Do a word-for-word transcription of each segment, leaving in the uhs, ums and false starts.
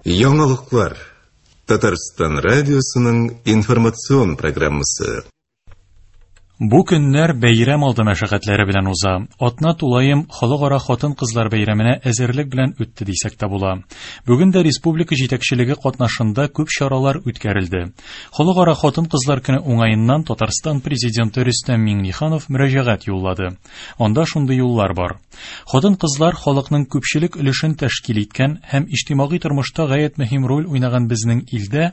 Яңалыклар. Татарстан радиосының информацион программасы. Бу көннәр бәйрәм алды мәшәкатьләре белән уза. Атна тулаем халыкара хатын-кызлар бәйрәменә әзерлек белән үтте дисәк тә була. Бүген дә республика җитәкчелеге катнашында күп чаралар үткәрелде. Халыкара хатын-кызлар көне уңаеннан Татарстан президенты Рөстәм Миңнеханов мөрәҗәгать юллады. Анда шундый юллар бар. Хатын-кызлар халыкның күпчелек өлешен тәшкил иткән һәм иҗтимагый тормышта гаять мөһим роль уйнаган безнең илдә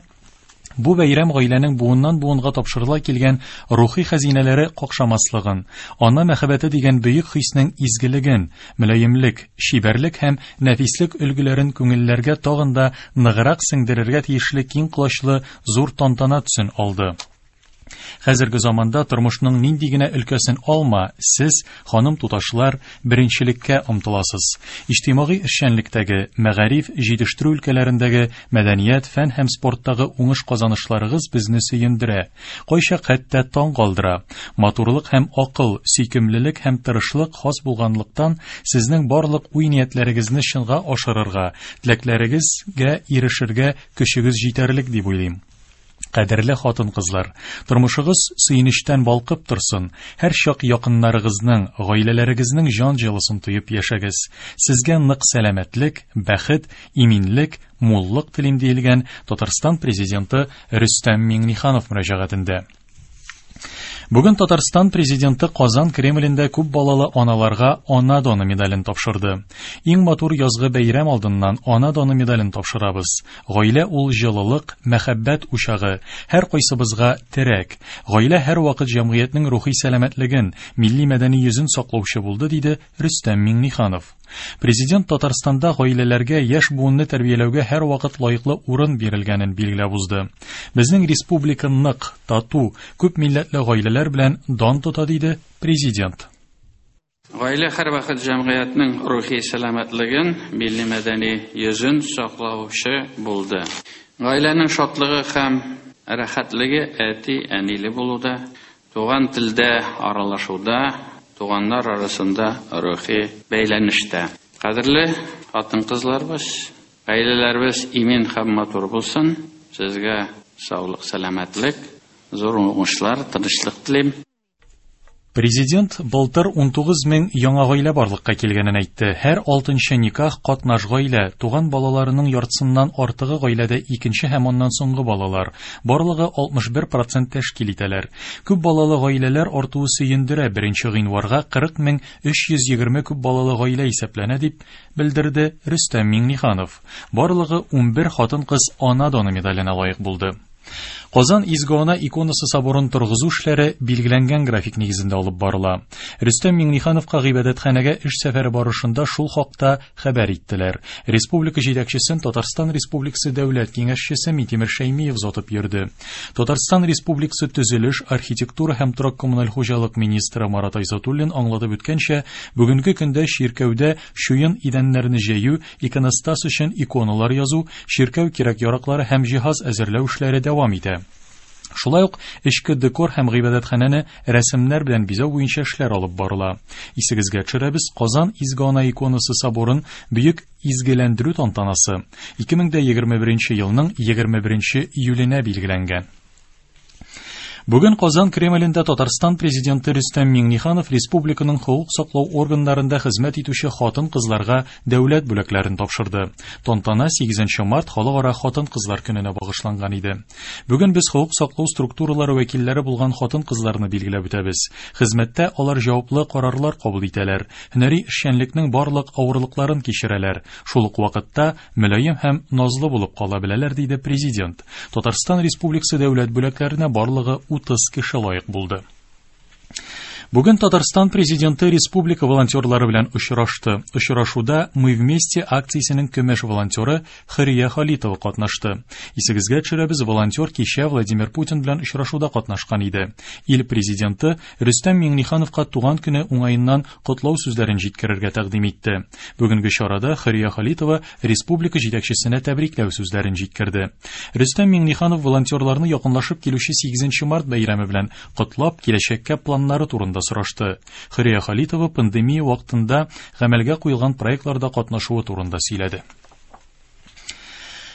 бу бәйрәм гаиләнең буыннан буынга тапшырыла килгән рухи хәзинәләре какшамаслыгын, ана мәхәббәте дигән бөек хиснең изгелеген, мөлаемлек, чибәрлек һәм нәфислек өлгеләрен күңелләргә тагын да ныграк сеңдерергә тиешле киң колачлы зур тантана төсен алды. Хәзерге заманда тормышның нинди генә өлкәсен алма, сез, ханым туташлар, беренчелеккә омтыласыз. Иҗтимагый эшчәнлектәге, мәгариф, җитештерү өлкәләрендәге, мәдәният, фән һәм спорттагы уңыш казанышларыгыз безне сөендерә, кайчак хәтта таң калдыра. Матурлык һәм акыл, сөйкемлелек һәм тырышлык хас булганлыктан, сезнең барлык уй-ниятләрегезне чынга ашырырга, теләкләрегезгә ирешергә көчегез җитәрлек дип уйлыйм. Кадерле хатын-кызлар, тормышыгыз сөенечтән балкып торсын, һәр чак якыннарыгызның, гаиләләрегезнең җан җылысын тоеп яшәгез. Сезгә нык сәламәтлек, бәхет, иминлек, муллык телим диелгән Татарстан президенты Рөстәм Миңнеханов мөрәҗәгатендә. Бүген Татарстан президенты Казан Кремлендә күп балалы аналарга Ана даны медален тапшырды. Иң матур язгы бәйрәм алдыннан Ана даны медален тапшырабыз. Гаилә ул җылылык, мәхәббәт учагы, һәр кайсыбызга терәк. Гаилә һәр вакыт җәмгыятьнең рухи сәламәтлеген, милли мәдәни йөзен саклаучы булды, диде Рөстәм Миңнеханов. Президент Татарстанда гаиләләргә яшь буынны тәрбияләүгә һәр вакыт лаеклы урын бирелгәнен билгеләп узды. Безнең республика нык, тату, күп милләтле гаиләләр белән дан тота, диде президент. Гаилә һәр вакыт җәмгыятьнең рухи сәламәтлеген, милли мәдәни йөзен саклаучы булды. Гаиләнең шатлыгы һәм рәхәтлеге әти-әниле булуда, туган телдә аралашуда, туганнар арасында рухи бәйләнештә. Кадерле хатын-кызларыбыз, гаиләләребез имин һәм матур булсын. Сезгә саулык, сәламәтлек, зур уңышлар, тынычлык телим. Президент былтыр ун тугыз мең яңа гаилә барлыкка килгәнен әйтте. Һәр алтынчы никах катнаш гаилә, туган балаларының яртысыннан артыгы гаиләдә икенче һәм аннан соңгы балалар. Барлыгы алтмыш бер процент тәшкил итәләр. Күп балалы гаиләләр артуы сөендерә. Беренче гыйнварга кырык мең өч йөз егерме күп балалы гаилә исәпләнә, дип белдерде Рөстәм Миңнеханов. Барлыгы ун бер хатын-кыз Ана даны медаленә лаек булды. Казан Изге Ана иконасы соборын торгызу эшләре билгеләнгән график нигезендә алып барыла. Рөстәм Миңнехановка гыйбадәтханәгә эш сәфәре барышында шул хакта хәбәр иттеләр. Республика җитәкчесен Татарстан Республикасы Дәүләт Киңәшчесе Минтимер Шәймиев озатып йөрде. Татарстан Республикасы төзелеш, архитектура һәм торак коммуналь хуҗалык министры Марат Айзатуллин аңлатып үткәнчә, бүгенге көндә чиркәүдә чуен идәннәрне җәю, иконостас өчен иконалар язу, чиркәү кирәк-яраклары һәм җиһаз әзерләү эшләре дәвам итә. Шулай ук эчке декор һәм гыйбадәтханәне рәсемнәр белән бизәү буенча эшләр алып барыла. Исегезгә төшерәбез, Казан Изге Ана иконасы соборын бөек изгеләндерү тантанасы ике мең дә егерме беренче елның егерме беренче июленә билгеләнгән. Бүген Казан Кремлендә Татарстан президенты Рөстәм Миңнеханов республиканың хокук саклау органнарында хезмәт итүче хатын-кызларга дәүләт бүләкләрен тапшырды. Тантана сигезенче март халыкара хатын-кызлар көненә багышланган иде. Бүген без хокук саклау структуралары вәкилләре булган хатын-кызларны билгеләп үтәбез. Хезмәттә алар җаваплы карарлар кабул итәләр, һөнәри эшчәнлекнең барлык авырлыкларын кичерәләр. Шул ук вакытта мөлаем һәм назлы булып кала беләләр, диде президент. Татарстан Республикасы дәүләт бүләкләренә барлыгы утыз кеше лаек булды. Бүген Татарстан президенты республика волонтерлары белән очрашты. Очрашуда Мы вместе акциясенең көмеш волонтеры Хөрия Халитова катнашты. Исегезгә төшерәбез, волонтер кичә Владимир Путин белән очрашуда катнашкан иде. Ил президенты Рөстәм Миңнехановка туган көне уңаеннан котлау сүзләрен җиткерергә тәкъдим итте. Бүгенге чарада Хөрия Халитова республика җитәкчесенә тәбрикләү сүзләрен җиткерде. Рөстәм Миңнеханов волонтерларны якынлашып килүче сигезенче март бәйрәме белән котлап, киләчәккә планнары турында сорашты. Хөрия Халитова пандемия вакытында гамәлгә куелган проектларда катнашуы турында сөйләде.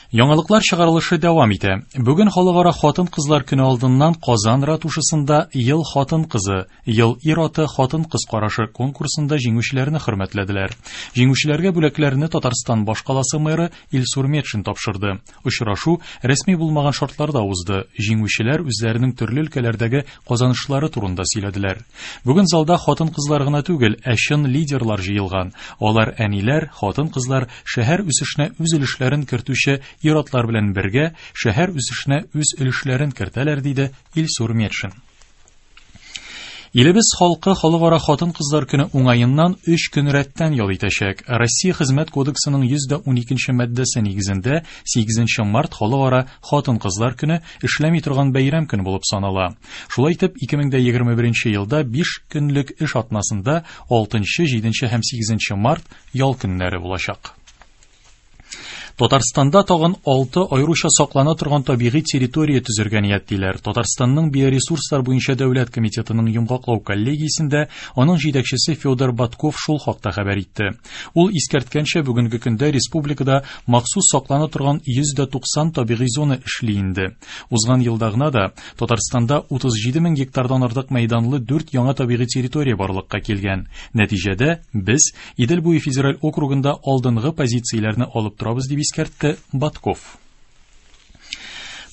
Яңалыклар чыгарылышы дәвам итә. Бүген халыкара хатын-кызлар көне алдыннан Казан ратушасында Ел хатын-кызы, Ел ир-аты хатын-кыз карашы конкурсында җиңүчеләрне хөрмәтләделәр. Җиңүчеләргә бүләкләрне Татарстан башкаласы мэры Илсур Метшин тапшырды. Очрашу рәсми булмаган шартларда узды. Җиңүчеләр үзләренең төрле өлкәләрдәге казанышлары турында сөйләделәр. Бүген залда хатын-кызлар гына түгел, ә чын лидерлар җыелган. Алар әниләр, хатын-кызлар шәһәр үсешенә үз өлешләрен кертүче ир-атлар белән бергә шәһәр үсешенә үз өлешләрен кертәләр, диде Илсур Метшин. Илебез халкы халыкара хатын-кызлар көне уңаеннан өч көн рәттән ял итәчәк. Россия Хезмәт кодексының йөз дә уникенче маддәсе нигезендә сигезенче март халыкара хатын-кызлар көне эшләми торган бәйрәм көне булып санала. Шулай итеп, ике мең дә егерме беренче елда биш көнлек эш атнасында алтынчы, җиденче һәм сигезенче март ял көннәре булачак. Татарстанда тагын алты аеруча саклана торган табигый территория төзергә ниятлиләр. Татарстанның биоресурслар буенча дәүләт комитетының йомгаклау коллегиясендә аның җитәкчесе Федор Батков шул хакта хәбәр итте. Ул искәрткәнчә, бүгенге көндә республикада махсус саклана торган йөз дә туксан табигый зона эшли инде. Узган елда гына да Татарстанда утыз җиде мең гектардан артык мәйданлы дүрт яңа табигый территория барлыкка килгән. Нәтиҗәдә без Идел буе федераль округында алдынгы позицияләрне алып торабыз, дип искәртте Батков.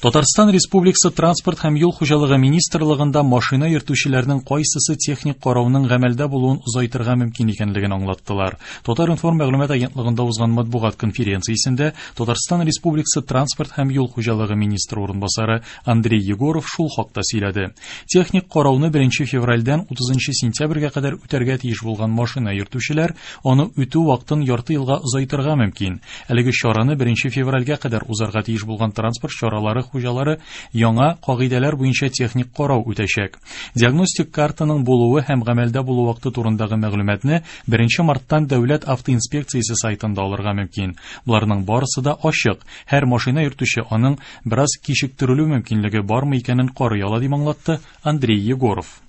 Татарстан Республикасы Транспорт һәм юл хуҗалыгы министрлыгында машина йөртүчеләрнең кайсысы техник карауның гамәлдә булуын озайтырга мөмкин икәнлеген аңлаттылар. Татар-информ мәгълүмат агентлыгында узган матбугат конференциясендә Татарстан Республикасы Транспорт һәм юл хуҗалыгы министры урынбасары Андрей Егоров шул хакта сөйләде. Техник карауны беренче февральдән утызынчы сентябрьгә кадәр үтәргә тиеш булган машина йөртүчеләр аны үтү вакытын ярты елга озайтырга мөмкин. Әлеге чараны беренче февральгә кадәр узарга тиеш булган транспорт чаралары хуҗалары яңа кагыйдәләр буенча техник карау үтәчәк. Диагностик картаның булуы һәм гамәлдә булу вакыты турындагы мәгълүматны беренче марттан Дәүләт автоинспекциясе сайтында алырга мөмкин. Буларның барысы да ачык. Һәр машина йөртүче аның бераз кичектерелү мөмкинлеге бармы икәнен карый ала, дип аңлатты Андрей Егоров.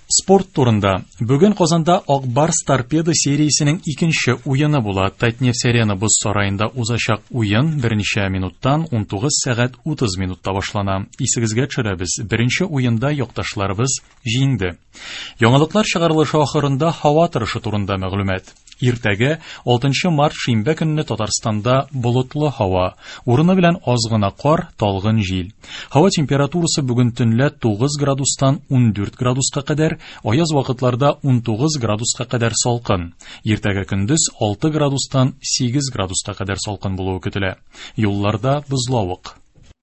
Спорт турында. Бүген Казанда Ак Барс Торпедо сериясенең икенче уены була. Татнефть Арена боз сараенда узачак уен берничә минуттан ун тугыз сәгать утыз минутта башлана. Исегезгә төшерәбез, беренче уенда якташларыбыз җиңде. Яңалыклар чыгарылышы ахырында һава торышы турында мәгълүмат. Иртәгә алтынчы март шимбә көнне Татарстанда болытлы һава, урыны белән аз гына кар, талгын җил. Һава температурасы бүген төнлә тугыз градустан ун дүрт градуска кадәр, аяз вакытларда ун тугыз градуска кадәр салкын. Иртәгә көндез алты градустан сигез градуска кадәр салкын булуы көтелә. Юлларда бозлавык.